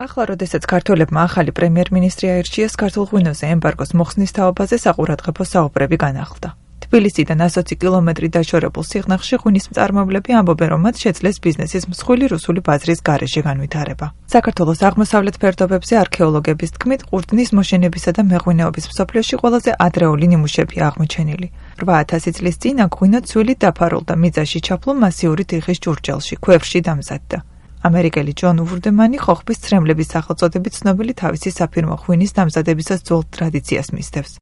ახლა, როდესაც ქართველებმა ახალი პრემიერ-მინისტრი აირჩიეს, ქართულ ღვინოზე ემბარგოს მოხსნის თაობაზე საყურადღებო საუბრები განახლდა. თბილისიდან 120 კილომეტრი დაშორებულ სიღნაღში ღვინის მწარმოებლები ამბობენ, რომ მათ შეძლეს ბიზნესის მსხვილი რუსული ბაზრის გარეშე განვითარება. საქართველოს აღმოსავლეთ ფერდობებზე არქეოლოგების თქმით, ყურძნის მოშენებისა და მეღვინეობის მსოფლიოში ყველაზე ადრეული ნიმუშებია აღმოჩენილი. 8000 წლის წინ აქ ღვინო ცვილით დაფარულდა, მიწაში ჩაფლულ მასიური თიხის ჭურჭელში, ქვევრში დამზადდა. ამერიკელი ჯონ უვურდემანი ხოხბის ცრემლების სახელწოდებით ცნობილი თავისი საფირმო ღვინის დამზადებისას ძველ ტრადიციას მისდევს.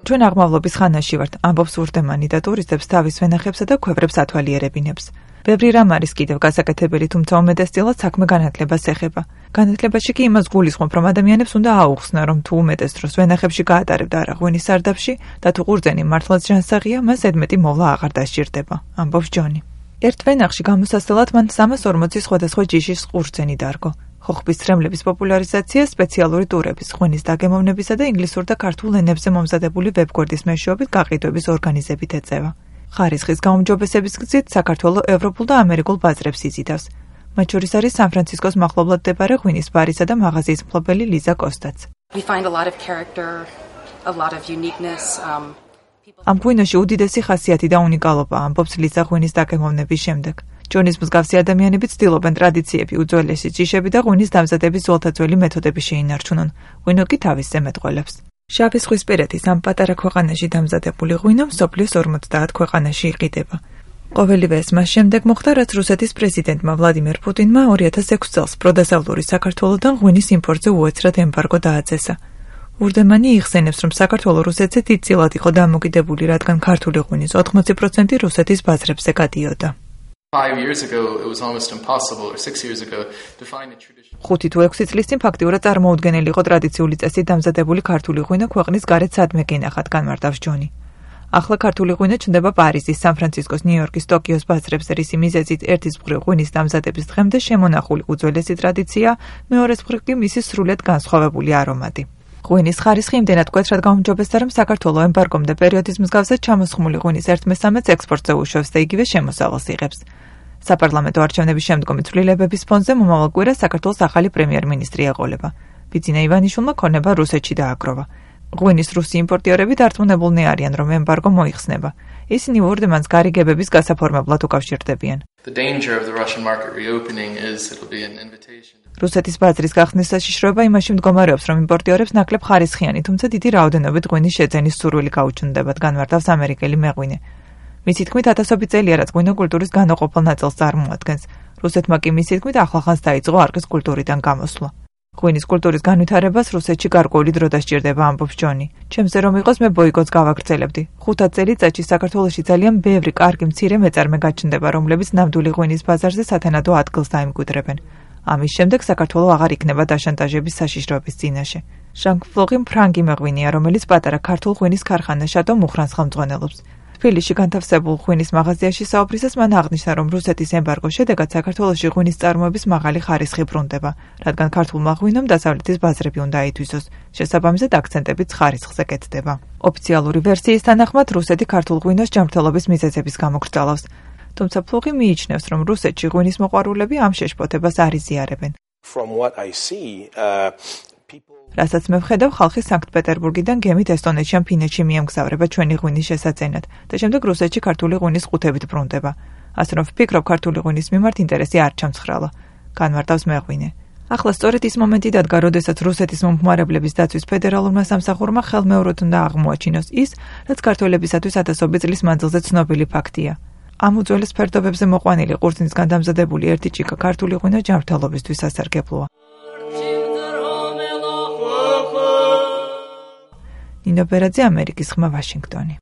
ჩვენ აღმავლობის ხანაში ვართ, ამბობს უვურდემანი და ტურისტებს თავის ვენახებსა და ქვევრებს ათვალიერებინებს. ბევრი რამ არის კიდევ გასაკეთებელი, თუმცა უმეტესწილად საქმე განათლებას ეხება. განათლებაში კი იმას გულისხმობ, რომ ადამიანებს უნდა აუხსნა, რომ თუ უმეტეს დროს ვენახებში გაატარებდა არა ღვინის სარდაფში და თუ ყურძენი მართლაც ჯანსაღია, მას ზედმეტი მოვლა აღარ დასჭირდება, ამბობს ჯონი. ერთ ვენახში გამოსასწელად მან 340 სხვადასხვა ჯიშის ყურძენი დარგო. ხოხბის ცრემლების პოპულარიზაცია სპეციალური ტურების, ღვინის დაგემოვნებისა და ინგლისურ და ქართულ ენებზე მომზადებული ვებგვერდის მეშვეობით გაყიდვების ორგანიზებით ეწევა. ხარისხის გაუმჯობესების გზით საქართველო ევროპულ და ამერიკულ ბაზრებს იზიდავს. მათ შორის არის სან-ფრანცისკოს მახლობლად მდებარე ღვინის ბარისა და მაღაზიის მფლობელი ლიზა კოსტაც. ამ ღვინოში უდიდესი ხასიათი და უნიკალობა, ამბობს ლიზა ღვინის დაგემოვნების შემდეგ. ჯონის მსგავსი ადამიანები ცდილობენ ტრადიციები, უძველესი ჯიშები და ღვინის დამზადების ძველთაძველი მეთოდები შეინარჩუნონ. ღვინო კი თავისზე მეტყველებს. შავი ზღვისპირეთის ამ პატარა ქვეყანაში დამზადებული ღვინო მსოფლიოს 50 ქვეყანაში იყიდება. ყოველივე ეს მას შემდეგ მოხდა, რაც რუსეთის პრეზიდენტმა ვლადიმერ პუტინმა 2006 წელს პროდასავლური საქართველოდან ღვინის იმპორტზე უეცრად ემბარგო დააწესა. უვურდემანი იხსენებს, რომ საქართველო რუსეთზე დიდწილად იყო დამოკიდებული, რადგან ქართული ღვინის 80% რუსეთის ბაზრებზე გადიოდა. 5 თუ 6 წლის წინ ფაქტიურად წარმოუდგენელი იყო ტრადიციული წესით დამზადებული ქართული ღვინო ქვეყნის გარეთ სადმე გინახათ, განმარტავს ჯონი. ახლა ქართული ღვინო ჩნდება პარიზის, სან-ფრანცისკოს, ნიუ-იორკის, ტოკიოს ბაზრებზე, რის მიზეზით ერთის მხრივ ღვინის დამზადების დღემდე შემონახული უძველესი ტრადიცია, მეორეს მხრივ კი მისი სრულიად განსხვავებული არომატი. ღვინის ხარისხი იმდენად მკვეთრად გაუმჯობესდა, რომ საქართველო ემბარგომდე პერიოდის მსგავსად ჩამოსხმული ღვინის 1/3 ექსპორტზე უშვებს და იგივე შემოსავალს იღებს. საპარლამენტო არჩევნების შემდგომი ცვლილებების ფონზე მომავალ კვირას საქართველოს ახალი პრემიერ-მინისტრი ეყოლება. ბიძინა ივანიშვილმა ქონება რუსეთში დააგროვა. ღვინის რუსი იმპორტიორები დარწმუნებულნი არიან, რომ ემბარგო მოიხსნება. ისინი უვურდემანს გარიგებების გასაფორმებლად უკავშირდებიან. რუსეთის ბაზრის გახსნის საშიშროება იმაში მდგომარეობს, რომ იმპორტიორებს ნაკლებ ხარისხიანი, თუმცა დიდი რაოდენობით ღვინის შეძენის სურვილი გაუჩნდებათ, განმარტავს ამერიკელი მეღვინე. მისი თქმით, ათასობით წელია, რაც ღვინო კულტურის განუყოფელ ნაწილს წარმოადგენს. რუსეთმა კი მისი თქმით, ახლახანს დაიწყო არყის კულტურიდან გამოსვლა. ღვინის კულტურის განვითარებას რუსეთში გარკვეული დრო დასჭირდება, ამბობს ჯონი. ჩემზე რომ იყოს, მე ბოიკოტს გავაგრძელებდი. 5 წელიწადში საქართველოში ძალიან ბევრი კარგი მცირე მეწარმე გაჩნდება, რომლებიც ნამდვილი ღვინის ბაზარზე სათანადო ადგილს დაიმკვიდრებენ. ამის შემდეგ საქართველო აღარ იქნება დაშანტაჟების საშიშროების წინაშე. ჟან-კლოდ ფრანგი მეღვინეა, რომელიც პატარა ქართულ ღვინის ქარხანა შატო მუხრანს ხელმძღვანელობს. თბილისში განთავსებულ ღვინის მაღაზიაში საუბრისას მან აღნიშნა, რომ რუსეთის ემბარგოს შედეგად საქართველოში ღვინის წარმოების მაღალი ხარისხი ბრუნდება, რადგან ქართულმა ღვინომ დასავლეთის ბაზრები უნდა აითვისოს. შესაბამისად აქცენტებიც ხარისხზე კეთდება. ოფიციალური ვერსიის თანახმად რუსეთი ქართულ ღვინოს ჯანმრთელობის მიზეზების გამო კრძალავს. თუმცა ფლუღი მიიჩნევს, რომ რუსეთში ღვინის მოყვარულები ამ შეშფოთებას არ იზიარებენ. რასაც მე ვხედავ, ხალხი სანქტ-პეტერბურგიდან გემით ესტონეთში ან ფინეთში მიემგზავრება ჩვენი ღვინის შესაძენად და შემდეგ რუსეთში ქართული ღვინის ყუთებით ბრუნდება. ასე რომ ვფიქრობ, ქართული ღვინის მიმართ ინტერესი არ ჩამცხრალა, განმარტავს მეღვინე. ახლა სწორედ ის მომენტი დადგა, როდესაც რუსეთის მომხმარებლების დაცვის ფედერალურმა სამსახურმა ხელმეორედ უნდა აღმოაჩინოს ის, რაც ქართველებისათვის ათასობით წლის მანძილზე ცნობილი ფაქტია. ამ უძველეს ფერდობებზე მოყვანილი ყურძნისგან დამზადებული ერთი ჭიქა ქართული ღვინო ჯანმრთელობისთვის სასარგებლოა. ნინო ბერაძე, ამერიკის ხმა, ვაშინგტონი.